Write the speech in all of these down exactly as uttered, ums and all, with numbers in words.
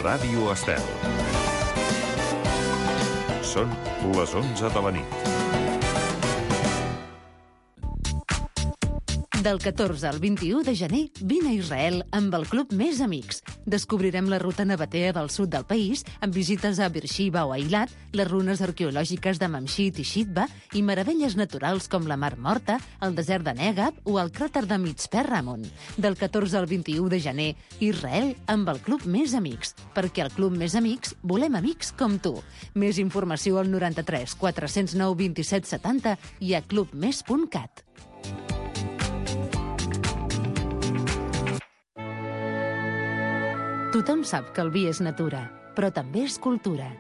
Ràdio Estel. Són les onze de la nit. Del catorze al vint-i-u de gener, vine a Israel amb el Club Més Amics. Descobrirem la ruta nabatea del sud del país, amb visites a Beersheba o Eilat, les runes arqueològiques de Mamshit i Shitba i meravelles naturals com la Mar Morta, el desert de Negab o el cràter de Mitzpe Ramon. Del catorze al vint-i-u de gener, Israel amb el Club Més Amics. Perquè al Club Més Amics volem amics com tu. Més informació al noranta-tres quatre-cents nou vint-i-set setanta i a club més punt cat. Tothom sap que el vi és natura, però també és cultura.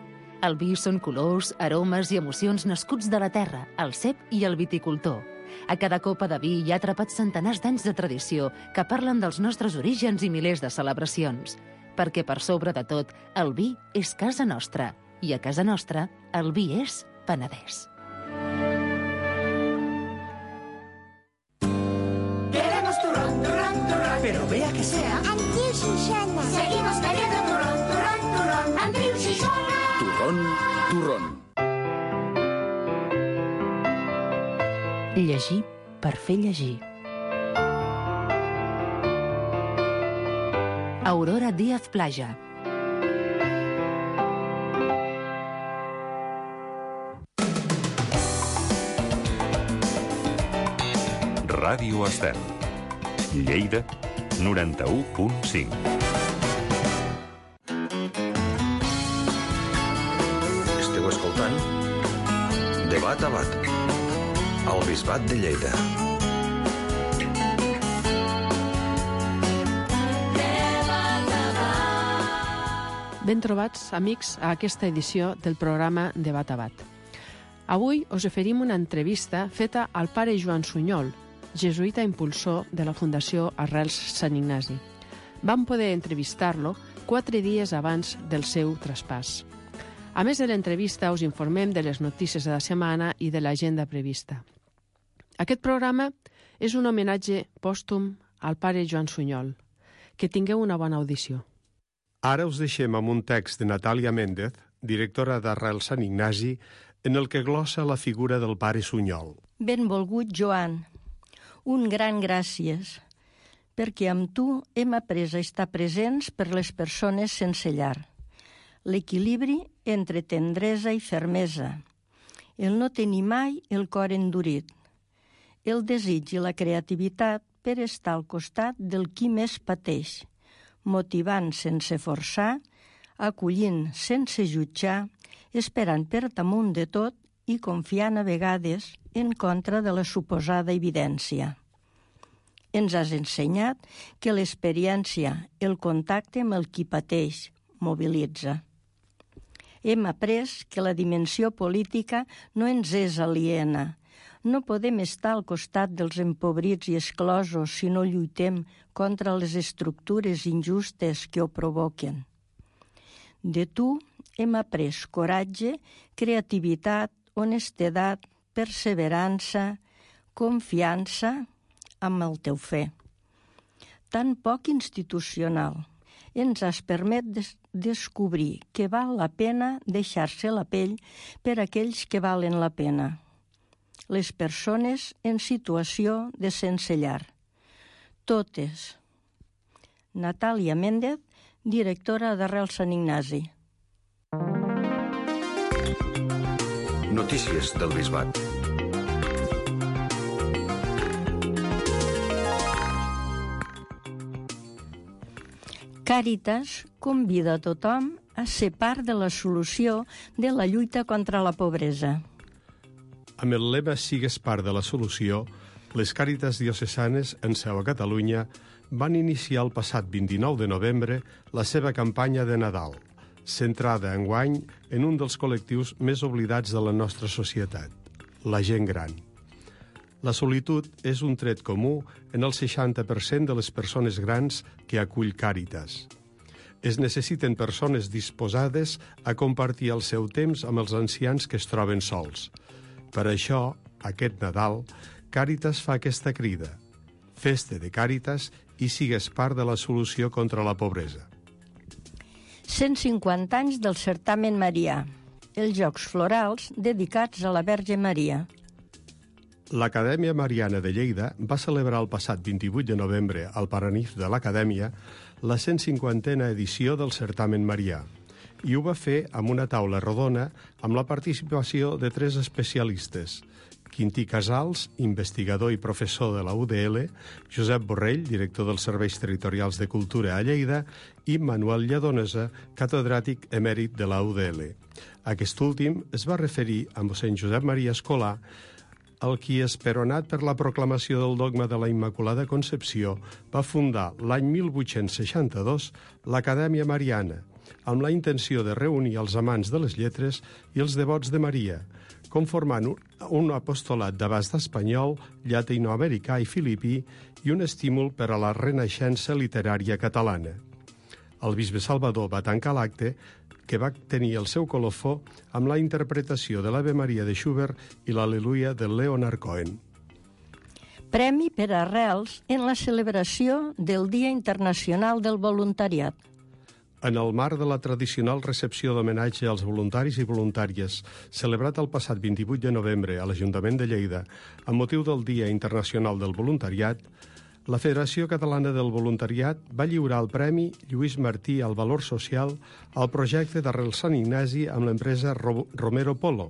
El vi són colors, aromes i emocions nascuts de la terra, el cep i el viticultor. A cada copa de vi hi ha atrapats centenars d'anys de tradició que parlen dels nostres orígens i milers de celebracions. Perquè per sobre de tot, el vi és casa nostra. I a casa nostra, el vi és Penedès. Queremos turrón, turrón, turrón. Pero vea que sea Andreu Xixona. Seguimos bebiendo turrón, turrón, turrón. Andreu Xixona. Turrón, turrón. Llegir per fer llegir. Aurora Díaz Plaja. Ràdio Estel. Lleida, noranta-u punt cinc. Esteu escoltant De Bat a Bat, al Bisbat de Lleida. Ben trobats, amics, a aquesta edició del programa De Bat a Bat. Avui us oferim una entrevista feta al pare Joan Sunyol, jesuïta impulsor de la Fundació Arrels Sant Ignasi. Vam poder entrevistar-lo quatre dies abans del seu traspàs. A més de l'entrevista, us informem de les notícies de la setmana i de l'agenda prevista. Aquest programa és un homenatge pòstum al pare Joan Sunyol. Que tingueu una bona audició. Ara us deixem amb un text de Natàlia Méndez, directora d'Arrels Sant Ignasi, en el que glossa la figura del pare Sunyol. Benvolgut Joan, un gran gràcies, perquè amb tu hem après a estar presents per les persones sense llar. L'equilibri entre tendresa i fermesa, el no tenir mai el cor endurit, el desig i la creativitat per estar al costat del qui més pateix, motivant sense forçar, acollint sense jutjar, esperant per damunt de tot i confiant a vegades en contra de la suposada evidència. Ens has ensenyat que l'experiència, el contacte amb el qui pateix, mobilitza. Hem après que la dimensió política no ens és aliena. No podem estar al costat dels empobrits i exclosos si no lluitem contra les estructures injustes que ho provoquen. De tu hem après coratge, creativitat, honestedat, perseverança, confiança amb el teu fe. Tan poc institucional, ens has permet des- descobrir que val la pena deixar-se la pell per aquells que valen la pena. Les persones en situació de sense llar. Totes. Natàlia Méndez, directora d'Arrels Sant Ignasi. Notícies del Bisbat. Càritas convida a tothom a ser part de la solució de la lluita contra la pobresa. Amb el lema Sigues part de la solució, les Càritas diocesanes en seu a Catalunya van iniciar el passat vint-i-nou de novembre la seva campanya de Nadal, centrada enguany en un dels col·lectius més oblidats de la nostra societat, la gent gran. La solitud és un tret comú en el seixanta per cent de les persones grans que acull Càritas. Es necessiten persones disposades a compartir el seu temps amb els ancians que es troben sols. Per això, aquest Nadal, Càritas fa aquesta crida. Festa de Càritas i sigues part de la solució contra la pobresa. cent cinquanta anys del certamen marià, els Jocs Florals dedicats a la Verge Maria. L'Acadèmia Mariana de Lleida va celebrar el passat vint-i-vuit de novembre al Paranif de l'Acadèmia la cent cinquantena edició del certamen marià i ho va fer amb una taula rodona amb la participació de tres especialistes: Quintí Casals, investigador i professor de la U D L, Josep Borrell, director dels Serveis Territorials de Cultura a Lleida, i Manuel Lledonesa, catedràtic emèrit de la U D L. Aquest últim es va referir a mossèn Josep Maria Escolà, el qui, esperonat per la proclamació del dogma de la Immaculada Concepció, va fundar l'any mil vuit-cents seixanta-dos l'Acadèmia Mariana, amb la intenció de reunir els amants de les lletres i els devots de Maria, conformant un apostolat d'abast espanyol, llatinoamericà i filipí i un estímul per a la renaixença literària catalana. El bisbe Salvador va tancar l'acte, que va tenir el seu colofó amb la interpretació de l'Ave Maria de Schubert i l'Al·leluia de Leonard Cohen. Premi per Arrels en la celebració del Dia Internacional del Voluntariat. En el marc de la tradicional recepció d'homenatge als voluntaris i voluntàries, celebrat el passat vint-i-vuit de novembre a l'Ajuntament de Lleida, amb motiu del Dia Internacional del Voluntariat, la Federació Catalana del Voluntariat va lliurar el Premi Lluís Martí al Valor Social al projecte d'Arrel Sant Ignasi amb l'empresa Romero Polo,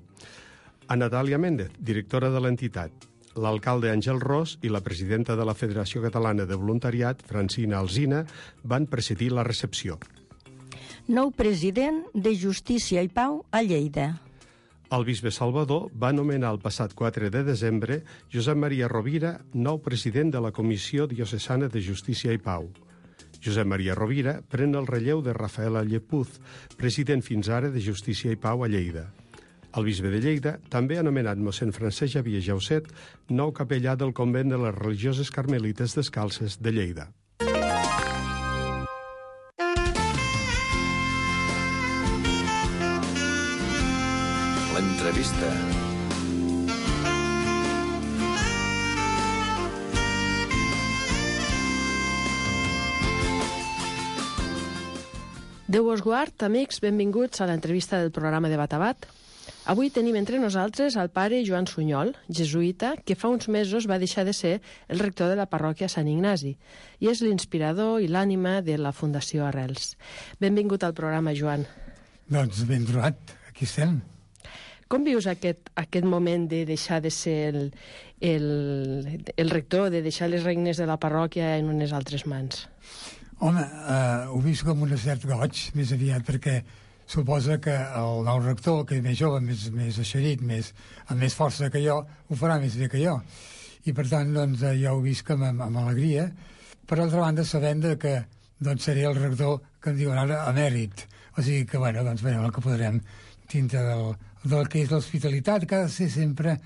a Natàlia Méndez, directora de l'entitat, l'alcalde Àngel Ros i la presidenta de la Federació Catalana de Voluntariat, Francina Alsina, van presidir la recepció. Nou president de Justícia i Pau a Lleida. El bisbe Salvador va nomenar el passat quatre de desembre Josep Maria Rovira, nou president de la Comissió Diocesana de Justícia i Pau. Josep Maria Rovira pren el relleu de Rafaela Llepuz, president fins ara de Justícia i Pau a Lleida. El bisbe de Lleida també ha nomenat mossèn Francesc Xavier Jauset, nou capellà del convent de les religioses carmelites descalces de Lleida. L'entrevista. Déu vos guard, amics, benvinguts a l'entrevista del programa de Bat a Bat. Avui tenim entre nosaltres el pare Joan Sunyol, jesuïta, que fa uns mesos va deixar de ser el rector de la parròquia Sant Ignasi i és l'inspirador i l'ànima de la Fundació Arrels. Benvingut al programa, Joan. Doncs ben trobat, aquí estem. Com vius aquest, aquest moment de deixar de ser el, el, el rector, de deixar les regnes de la parròquia en unes altres mans? Home, eh, ho visc com un cert goig, més aviat, perquè suposa que el nou rector, que és més jove, més, més eixerit, més, amb més força que jo, ho farà més bé que jo. I per tant, doncs, jo ho visc amb, amb alegria. Per altra banda, sabent que doncs, seré el rector que em diuen ara emèrit. O sigui que, bueno, doncs, veurem el que podrem dintre del, del que és l'hospitalitat, que ha de ser sempre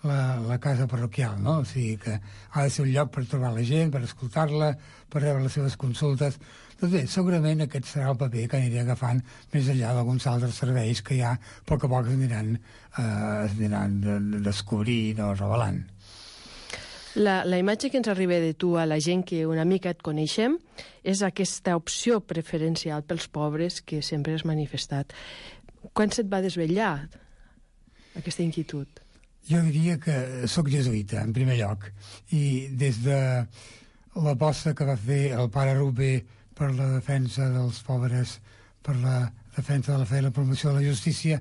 la, la casa parroquial, no? O sigui que ha de ser un lloc per trobar la gent, per escoltar-la, per rebre les seves consultes. Doncs bé, segurament aquest serà el paper que aniré agafant més enllà d'alguns altres serveis que ja a poc a poc es aniran, eh, es aniran descobrint o revelant. La, la imatge que ens arriba de tu a la gent que una mica et coneixem és aquesta opció preferencial pels pobres que sempre has manifestat. Quan se't va desvetllar aquesta inquietud? Jo diria que sóc jesuïta, en primer lloc, i des de l'aposta que va fer el pare Rubé per la defensa dels pobres, per la defensa de la fe i la promoció de la justícia,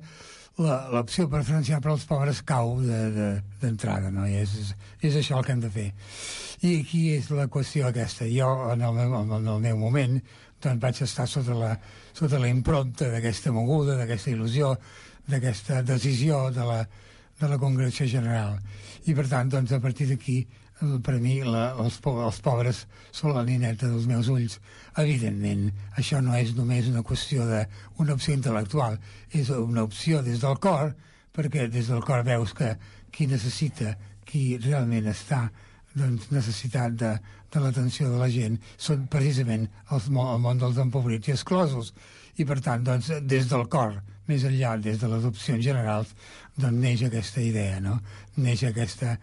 l'opció preferencial per als pobres cau d'entrada, de, de, no? I és, és, és això el que hem de fer. I aquí és la qüestió aquesta. Jo, en el meu, en el meu moment, doncs vaig estar sota la, sota la impronta d'aquesta moguda, d'aquesta il·lusió, d'aquesta decisió de la, de la Congregació General. I, per tant, doncs, a partir d'aquí, per a mi, la, els, els pobres són la nineta dels meus ulls. Evidentment, això no és només una qüestió d'una opció intel·lectual, és una opció des del cor, perquè des del cor veus que qui necessita, qui realment està doncs, necessitat de, de l'atenció de la gent són precisament els, el món dels empobrits i exclosos. I, per tant, doncs, des del cor, més enllà, des de les opcions generals, doncs neix aquesta idea, no? Neix aquesta,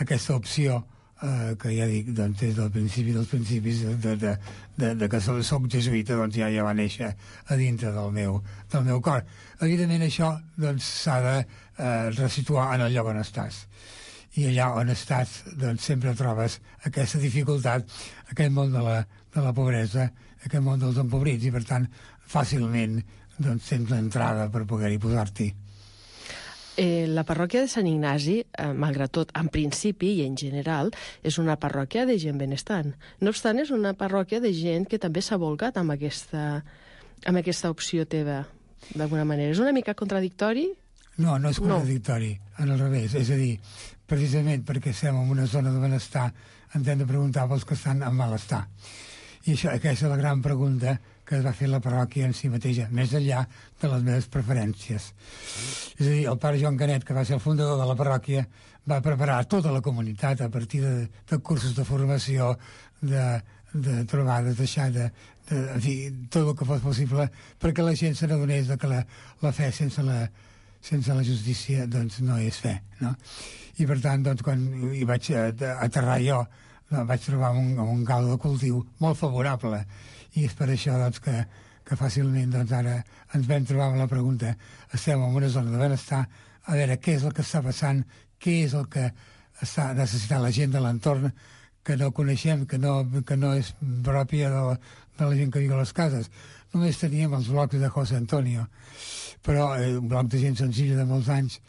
aquesta opció eh, que ja dic, doncs, des del principi dels principis de, de, de, de que soc, soc jesuïta, doncs ja, ja va néixer a dintre del meu, del meu cor. Evidentment això doncs, s'ha de eh, resituar en el lloc on estàs. I allà on estàs doncs, sempre trobes aquesta dificultat, aquest món de la, de la pobresa, aquest món dels empobrits, i per tant fàcilment doncs, tens l'entrada per poder-hi posar-t'hi. Eh, la parròquia de Sant Ignasi, eh, malgrat tot, en principi i en general, és una parròquia de gent benestant. No obstant, és una parròquia de gent que també s'ha volcat amb aquesta, amb aquesta opció teva, d'alguna manera. És una mica contradictori? No, no és contradictori, no. En el revés. És a dir, precisament perquè estem en una zona de benestar, ens hem de preguntar pels que estan en malestar. I això, aquesta és la gran pregunta que es va fer la parròquia en si mateixa, més enllà de les meves preferències. És a dir, el pare Joan Canet, que va ser el fundador de la parròquia, va preparar tota la comunitat a partir de, de cursos de formació, de, de trobades, deixar de, de, en fi, tot el que fos possible perquè la gent se n'adonés que la, la fe sense la, sense la justícia doncs, no és fe, no? I per tant, doncs, quan hi vaig aterrar jo, vaig trobar un, un caldo de cultiu molt favorable, i és per això doncs, que, que fàcilment doncs, ara ens vam trobar amb la pregunta, estem en una zona de benestar, a veure què és el que està passant, què és el que està necessitant la gent de l'entorn que no coneixem, que no, que no és pròpia de la, de la gent que viu a les cases. Només teníem els blocs de José Antonio, però eh, un bloc de gent senzilla de molts anys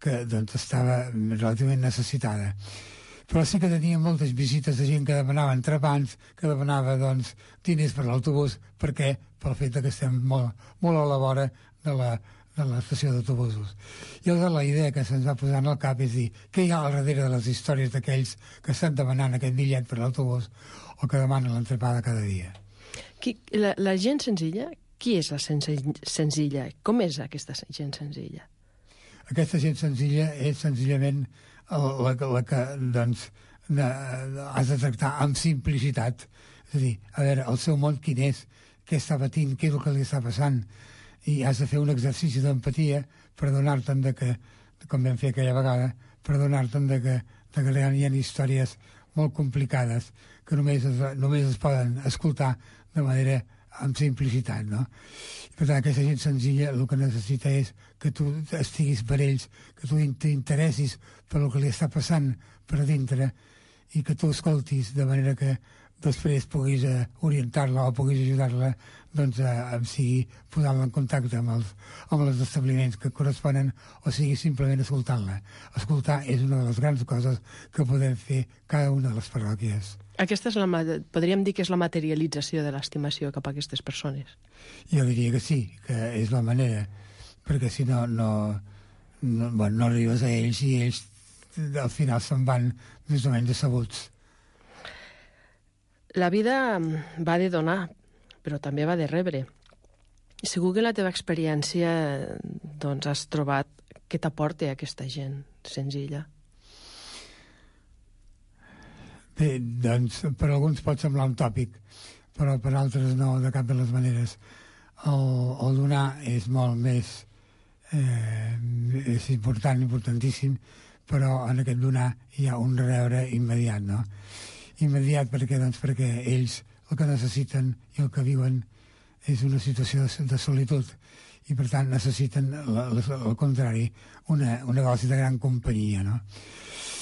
que doncs, estava relativament necessitada. Però sí que teníem moltes visites de gent que demanava entrepans, que demanava doncs, diners per l'autobús, perquè pel fet que estem molt, molt a la vora de la, de l'estació d'autobusos. I llavors la idea que se'ns va posar en el cap és dir què hi ha al darrere de les històries d'aquells que estan demanant aquest bitllet per l'autobús o que demanen l'entrepada cada dia. Qui, la, la gent senzilla, qui és la senzilla? Com és aquesta gent senzilla? Aquesta gent senzilla és senzillament la, la que doncs, de, de, has de tractar amb simplicitat. És a dir, a veure, el seu món quin és, què està patint, què és el que li està passant, i has de fer un exercici d'empatia per donar-te'n de que, com vam fer aquella vegada, per donar-te'n de que, de que hi ha històries molt complicades que només es, només es poden escoltar de manera amb simplicitat, no? Per tant, aquesta gent senzilla el que necessita és que tu estiguis per ells, que tu t'interessis per el que li està passant per dintre i que tu escoltis de manera que després puguis uh, orientar-la o puguis ajudar-la doncs, a, a sigui posar-la en contacte amb els, amb els establiments que corresponen o sigui simplement escoltant-la. Escoltar és una de les grans coses que podem fer cada una de les parròquies. Aquesta és la, podríem dir que és la materialització de l'estimació cap a aquestes persones. Jo diria que sí, que és la manera, perquè si no, no, no, bueno, no arribes a ells i ells al final se'n van més o menys decebuts. La vida va de donar, però també va de rebre. I segur que en la teva experiència doncs, has trobat què t'aporta aquesta gent senzilla. Bé, doncs, per alguns pot semblar un tòpic, però per altres no, de cap de les maneres. El, el donar és molt més... Eh, és important, importantíssim, però en aquest donar hi ha un rebre immediat, no? Immediat perquè, doncs, perquè ells el que necessiten i el que viuen és una situació de, de solitud i, per tant, necessiten, al contrari, una, una dosi de gran companyia, no?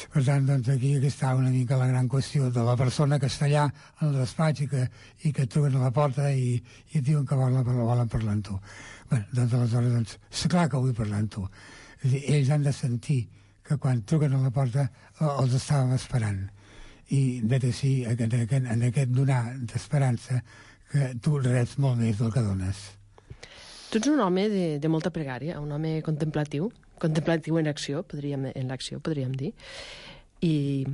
Per tant, doncs, aquí, aquí està una mica la gran qüestió de la persona que està allà en el despatx i que, i que truquen a la porta i, i et diuen que volen, volen parlar amb tu. Bé, doncs, aleshores, doncs, és clar que vull parlar amb tu. És dir, ells han de sentir que quan truquen a la porta els estàvem esperant. I, vet així, en aquest, en aquest donar d'esperança, que tu reps molt més del que dones. Tu ets un home de, de molta pregària, un home contemplatiu, contemplatiu en acció, podríem, en l'acció, podríem dir. I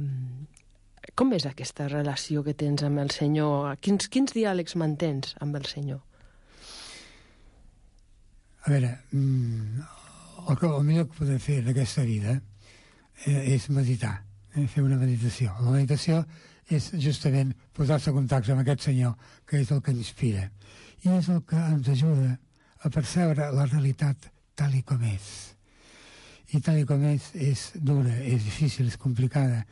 com és aquesta relació que tens amb el Senyor? Quins, quins diàlegs mantens amb el Senyor? A veure, el, que, el millor que podem fer en aquesta vida és meditar, eh, fer una meditació. La meditació és justament posar-se en contacte amb aquest Senyor, que és el que inspira. I és el que ens ajuda a percebre la realitat tal i com és. I tal i com és, és dura, és difícil, és complicada,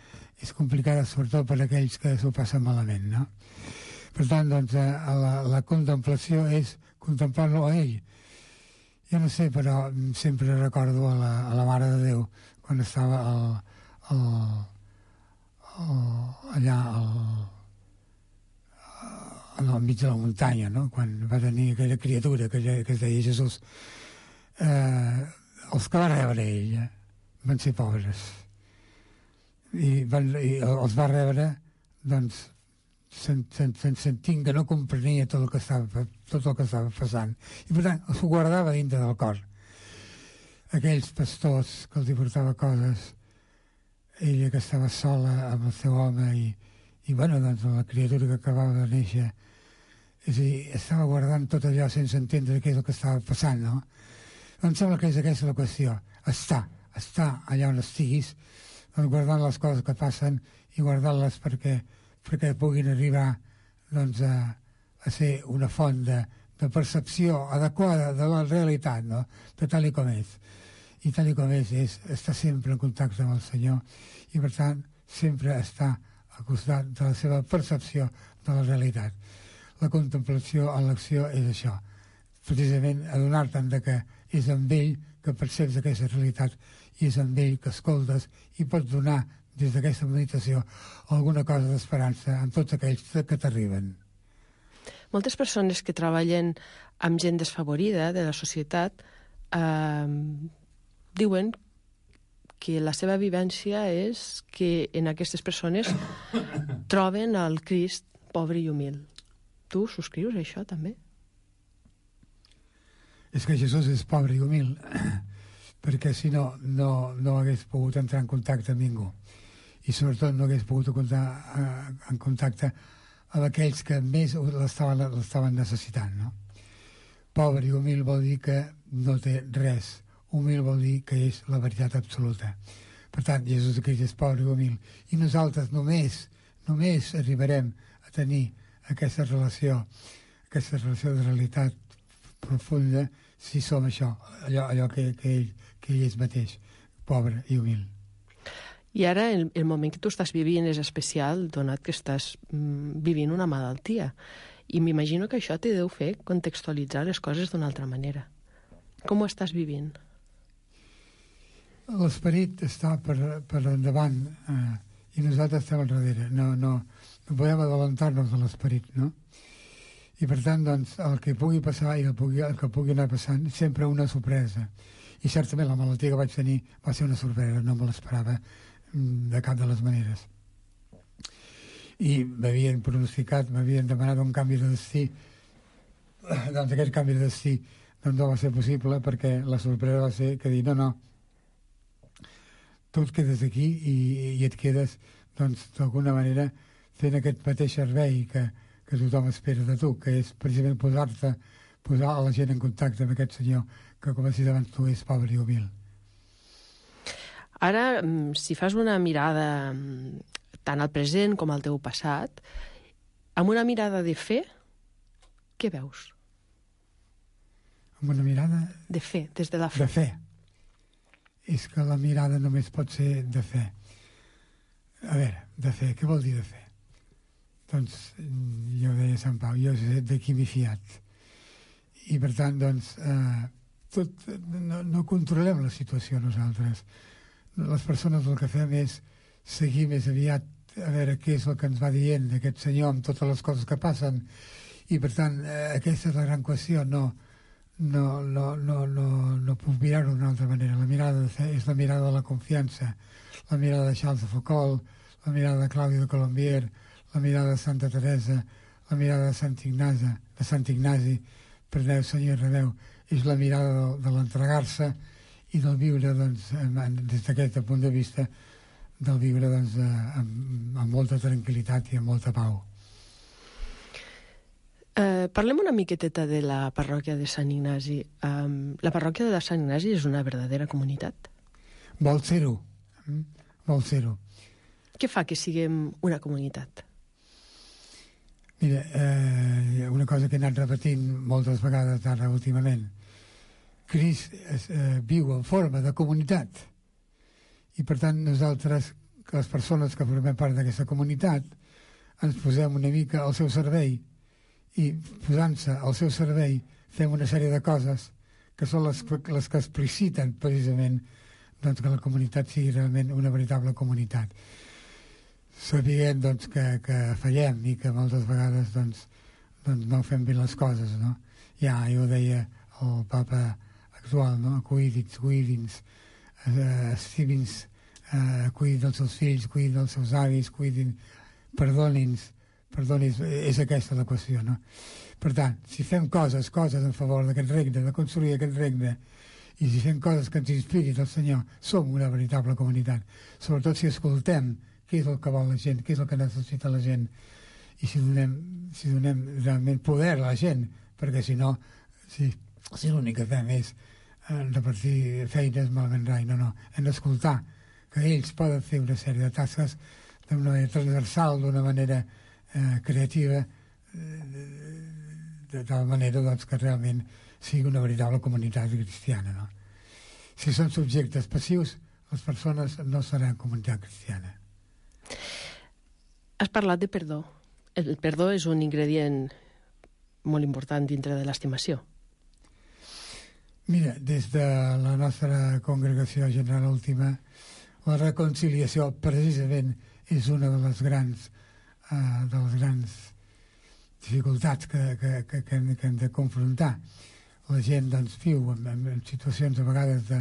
és complicada sobretot per a aquells que s'ho passen malament, no? Per tant, doncs, eh, la, la contemplació és contemplar-lo a ell. Jo no sé, però sempre recordo a la, a la Mare de Déu quan estava al, al, al, allà al, al mig de la muntanya, no? Quan va tenir aquella criatura que, que es deia Jesús. Eh, els que va rebre ell eh, van ser pobres i, van, i els va rebre doncs sentint que no comprenia tot el que estava, tot el que estava passant, i per tant s'ho guardava dintre del cor. Aquells pastors que els hi portava coses, ella que estava sola amb el seu home i, i bueno, doncs la criatura que acabava de néixer, és a dir, estava guardant tot allò sense entendre què és el que estava passant, no? Em sembla que és aquesta la qüestió, estar, estar allà on estiguis, doncs guardant les coses que passen i guardant-les perquè, perquè puguin arribar doncs, a, a ser una font de, de percepció adequada de la realitat, no? De tal i com és. I tal i com és, és estar sempre en contacte amb el Senyor i, per tant, sempre estar al costat de la seva percepció de la realitat. La contemplació en l'acció és això, precisament adonar-te'n de que és amb ell que perceps aquesta realitat i és amb ell que escoltes i pots donar des d'aquesta meditació alguna cosa d'esperança en tots aquells que t'arriben. Moltes persones que treballen amb gent desfavorida de la societat eh, diuen que la seva vivència és que en aquestes persones troben el Crist pobre i humil. Tu subscrius això també? És que Jesús és pobre i humil, perquè si no, no, no hagués pogut entrar en contacte amb ningú. I sobretot no hagués pogut comptar en contacte amb aquells que més l'estaven necessitant, no? Pobre i humil vol dir que no té res. Humil vol dir que és la veritat absoluta. Per tant, Jesús Crist és pobre i humil. I nosaltres només, només arribarem a tenir aquesta relació, aquesta relació de realitat profunda si som això, allò, allò que, que, ell, que ell és mateix, pobre i humil. I ara el, el moment que tu estàs vivint és especial, donat que estàs mm, vivint una malaltia. I m'imagino que això te deu fer contextualitzar les coses d'una altra manera. Com ho estàs vivint? L'esperit està per, per endavant eh, i nosaltres estem al darrere. No, no, no podem adelantar-nos de l'esperit, no? I per tant, doncs, el que pugui passar i el, pugui, el que pugui anar passant, sempre una sorpresa. I certament la malaltia que vaig tenir va ser una sorpresa, no me l'esperava de cap de les maneres. I m'havien pronosticat, m'havien demanat un canvi de destí. Doncs aquest canvi de destí doncs no va ser possible perquè la sorpresa va ser que dir, no, no, tu et quedes aquí i, i et quedes, doncs, d'alguna manera fent aquest mateix servei que, que tothom espera de tu, que és precisament posar-te, posar a la gent en contacte amb aquest senyor que, com has dit abans, tu és pobre i humil. Ara, si fas una mirada tant al present com al teu passat, amb una mirada de fe, què veus? Amb una mirada... De fe, des de la fe. De fe. És que la mirada només pot ser de fe. A veure, de fe, què vol dir de fe? Doncs, jo deia Sant Pau, jo sé de qui m'he fiat. I, per tant, doncs, eh, tot, no, no controlem la situació nosaltres. Les persones el que fem és seguir més aviat a veure què és el que ens va dient aquest senyor amb totes les coses que passen. I, per tant, eh, aquesta és la gran qüestió. No, no, no, no, no, no puc mirar-ho d'una altra manera. La mirada de fe és la mirada de la confiança, la mirada de Charles de Foucault, la mirada de Claudi de Colombier, la mirada de Santa Teresa, la mirada de Sant Ignasi, de Sant Ignasi, perdeu, Senyor, rebeu, és la mirada de, de l'entregar-se i del viure, doncs, des d'aquest punt de vista, del viure, doncs, amb, amb molta tranquil·litat i amb molta pau. Eh, parlem una miqueteta de la parròquia de Sant Ignasi. Um, la parròquia de Sant Ignasi és una verdadera comunitat? Vol ser-ho. Vol ser-ho. Què fa que siguem una comunitat? Mira, eh, una cosa que he anat repetint moltes vegades ara últimament. Crist eh, viu en forma de comunitat i, per tant, nosaltres que les persones que formem part d'aquesta comunitat ens posem una mica al seu servei i posant-se al seu servei fem una sèrie de coses que són les, les que expliciten precisament doncs, que la comunitat sigui realment una veritable comunitat. Sabent doncs, que, que fallem i que moltes vegades doncs, doncs no fem bé les coses, no? Ja, jo deia el papa actual, no? Cuidin-nos, cuidin-nos, uh, estimin-nos, uh, cuidin dels seus fills, cuidin dels seus avis, cuidin, perdonin-nos, perdonin, és aquesta la qüestió, no? Per tant, si fem coses, coses en favor d'aquest regne, de construir aquest regne, i si fem coses que ens inspirin el Senyor, som una veritable comunitat. Sobretot si escoltem què és el que vol la gent, què és el que necessita la gent, i si donem, si donem realment poder a la gent, perquè si no, si, si l'únic que fem és eh, repartir feines malament rai, no, no, hem d'escoltar que ells poden fer una sèrie de tasques d'una manera transversal, d'una manera eh, creativa, eh, de tal manera doncs, que realment sigui una veritable comunitat cristiana, no? Si són subjectes passius, les persones no seran comunitat cristiana. Has parlat de perdó. El perdó és un ingredient molt important dintre de l'estimació. Mira, des de la nostra congregació general última, la reconciliació precisament és una de les grans, uh, de les grans dificultats que, que, que, que, hem, que hem de confrontar. La gent doncs, viu en, en situacions a vegades de,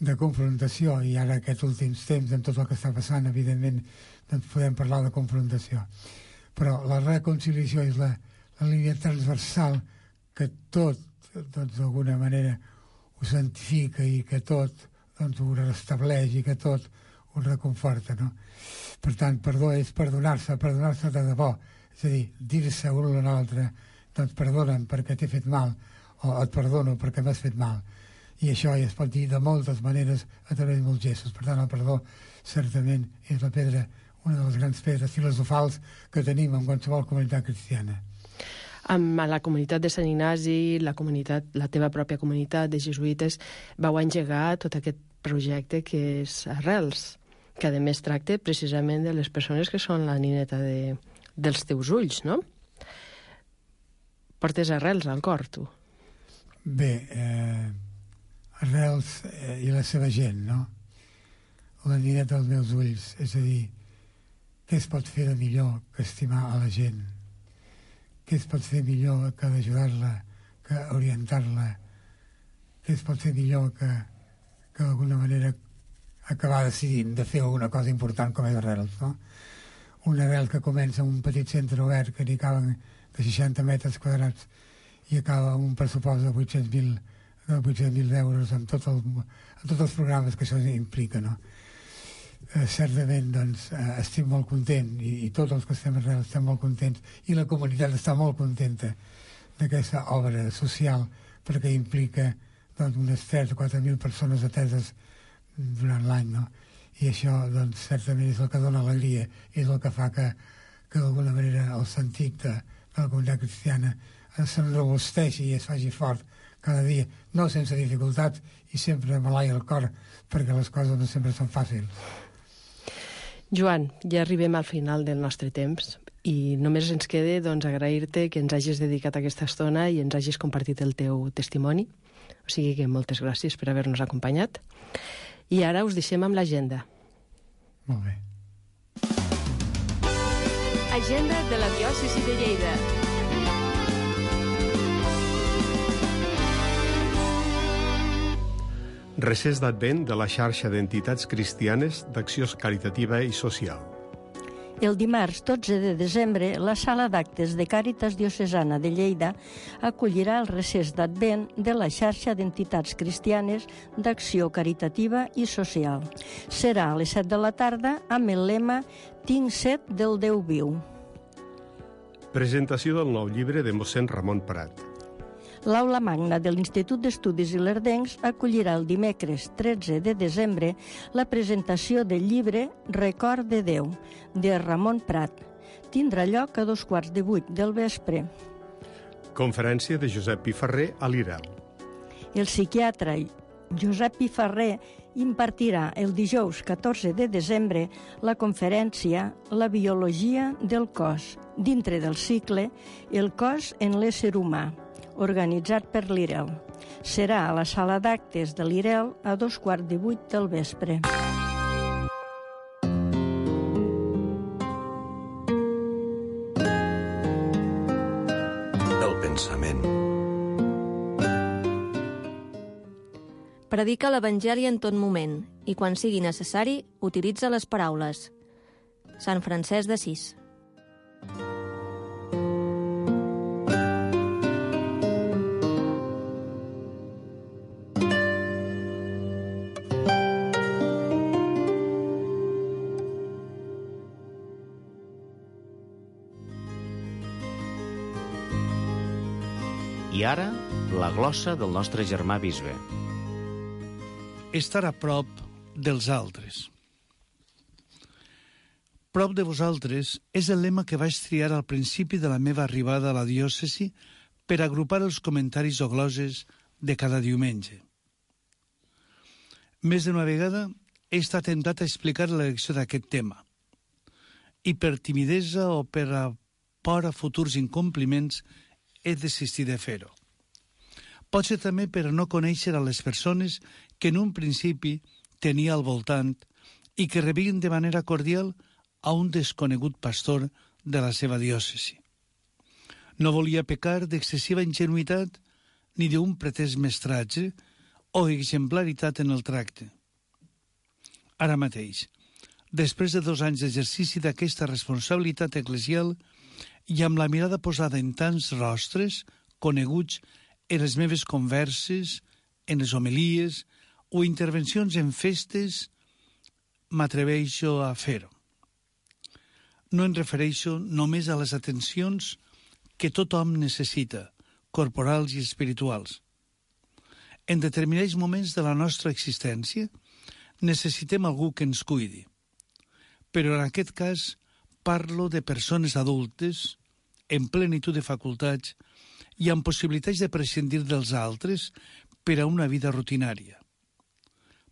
de confrontació, i ara aquests últims temps, amb tot el que està passant, evidentment, doncs podem parlar de confrontació. Però la reconciliació és la, la línia transversal que tot, doncs, d'alguna manera, ho santifica i que tot doncs, ho restableix i que tot ho reconforta, no? Per tant, perdó és perdonar-se, perdonar-se de debò. És a dir, dir-se un a l'altre, doncs perdona'm perquè t'he fet mal, o et perdono perquè m'has fet mal. I això ja es pot dir de moltes maneres a través de molts gestos. Per tant, el perdó certament és la pedra, una de les grans pedres filosofals que tenim en qualsevol comunitat cristiana. Amb la comunitat de Sant Ignasi, la comunitat, la teva pròpia comunitat de jesuïtes, vau engegar tot aquest projecte que és Arrels, que a més tracta precisament de les persones que són la nineta de, dels teus ulls, no? Portes arrels al cor, tu. Bé, eh, Arrels eh, i la seva gent, no? La nineta dels meus ulls, és a dir, què es pot fer de millor que estimar a la gent? Què es pot fer millor que d'ajudar-la, que orientar-la? Què es pot fer millor que, que d'alguna manera acabar decidint de fer alguna cosa important com és Arrels, no? Un Arrel que comença amb un petit centre obert que n'hi caben de seixanta metres quadrats i acaba amb un pressupost de vuit-cents mil euros amb, tot el, amb tots els programes que això implica, no? Eh, certament, doncs, eh, estic molt content i, i tots els que estem a Arrels estem molt contents i la comunitat està molt contenta d'aquesta obra social perquè implica doncs, unes tres o quatre mil persones ateses durant l'any, no? I això, doncs, certament és el que dona alegria, és el que fa que, que d'alguna manera el sentit de, de la comunitat cristiana s'enrobusteixi i es faci fort cada dia, no sense dificultats i sempre malai el cor, perquè les coses no sempre són fàcils. Joan, ja arribem al final del nostre temps i només ens queda doncs, agrair-te que ens hagis dedicat aquesta estona i ens hagis compartit el teu testimoni. O sigui que moltes gràcies per haver-nos acompanyat. I ara us deixem amb l'agenda. Molt bé. Agenda de la diòcesi de Lleida. Recés d'Advent de la xarxa d'entitats cristianes d'acció caritativa i social. El dimarts dotze de desembre, la sala d'actes de Càritas Diocesana de Lleida acollirà el recés d'Advent de la xarxa d'entitats cristianes d'acció caritativa i social. Serà a les set de la tarda amb el lema Tinc set del Déu viu. Presentació del nou llibre de mossèn Ramon Prat. L'Aula Magna de l'Institut d'Estudis Ilerdencs acollirà el dimecres tretze de desembre la presentació del llibre Record de Déu, de Ramon Prat. Tindrà lloc a dos quarts de vuit del vespre. Conferència de Josep Piferrer a l'I R E L. El psiquiatre Josep Piferrer impartirà el dijous catorze de desembre la conferència La biologia del cos, dintre del cicle El cos en l'ésser humà, organitzat per l'I R E L. Serà a la sala d'actes de l'I R E L a dos quarts de vuit del vespre. El pensament. Predica l'Evangeli en tot moment i, quan sigui necessari, utilitza les paraules. Sant Francesc d'Assís. I ara, la glossa del nostre germà bisbe. Estar a prop dels altres. Prop de vosaltres és el lema que vaig triar al principi de la meva arribada a la diòcesi per agrupar els comentaris o gloses de cada diumenge. Més d'una vegada he estat temptat a explicar l'elecció d'aquest tema i per timidesa o per a por a futurs incompliments he desistit de fer-ho. Pot ser també per no conèixer a les persones que en un principi tenia al voltant i que rebien de manera cordial a un desconegut pastor de la seva diòcesi. No volia pecar d'excessiva ingenuïtat ni d'un pretès mestratge o exemplaritat en el tracte. Ara mateix, després de dos anys d'exercici d'aquesta responsabilitat eclesial i amb la mirada posada en tants rostres coneguts en les meves converses, en les homilies o intervencions en festes, m'atreveixo a fer-ho. No em refereixo només a les atencions que tothom necessita, corporals i espirituals. En determinats moments de la nostra existència necessitem algú que ens cuidi. Però en aquest cas parlo de persones adultes, en plenitud de facultats i amb possibilitats de prescindir dels altres per a una vida rutinària.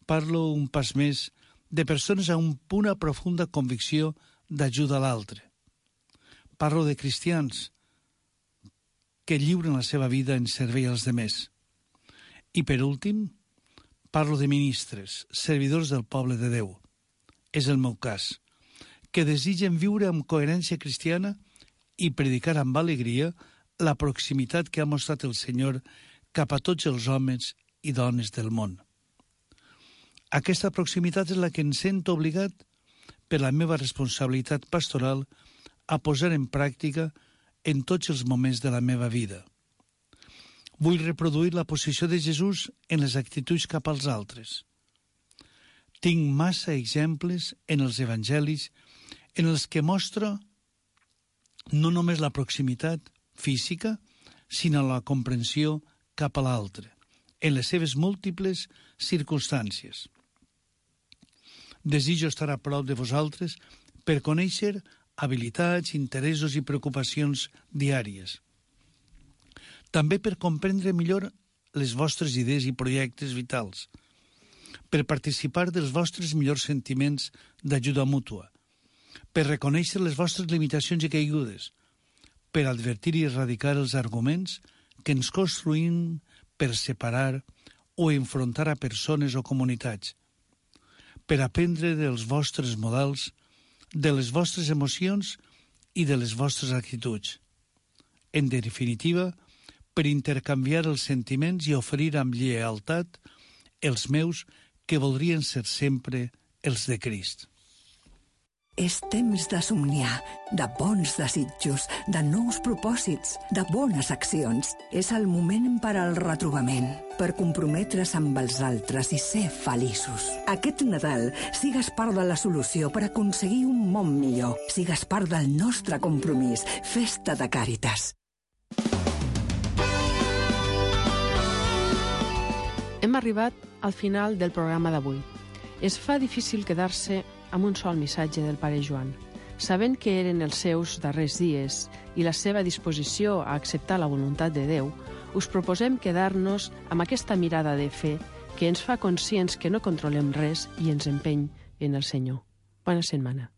Parlo un pas més de persones amb una profunda convicció d'ajuda a l'altre. Parlo de cristians que lliuren la seva vida en servei als demés. I per últim, parlo de ministres, servidors del poble de Déu. És el meu cas, que desitgen viure amb coherència cristiana i predicar amb alegria la proximitat que ha mostrat el Senyor cap a tots els homes i dones del món. Aquesta proximitat és la que em sento obligat, per la meva responsabilitat pastoral, a posar en pràctica en tots els moments de la meva vida. Vull reproduir la posició de Jesús en les actituds cap als altres. Tinc massa exemples en els evangelis en els que mostra no només la proximitat física, sinó la comprensió cap a l'altre, en les seves múltiples circumstàncies. Desitjo estar a prop de vosaltres per conèixer habilitats, interessos i preocupacions diàries. També per comprendre millor les vostres idees i projectes vitals, per participar dels vostres millors sentiments d'ajuda mútua, per reconèixer les vostres limitacions i caigudes, per advertir i erradicar els arguments que ens construïm per separar o enfrontar a persones o comunitats, per aprendre dels vostres models, de les vostres emocions i de les vostres actituds. En definitiva, per intercanviar els sentiments i oferir amb lleialtat els meus que voldrien ser sempre els de Crist. És temps de somniar, de bons desitjos, de nous propòsits, de bones accions. És el moment per al retrobament, per comprometre's amb els altres i ser feliços. Aquest Nadal sigues part de la solució per aconseguir un món millor. Sigues part del nostre compromís. Festa de Càritas. Hem arribat al final del programa d'avui. Es fa difícil quedar-se amb un sol missatge del pare Joan. Sabent que eren els seus darrers dies i la seva disposició a acceptar la voluntat de Déu, us proposem quedar-nos amb aquesta mirada de fe que ens fa conscients que no controlem res i ens empeny en el Senyor. Bona setmana.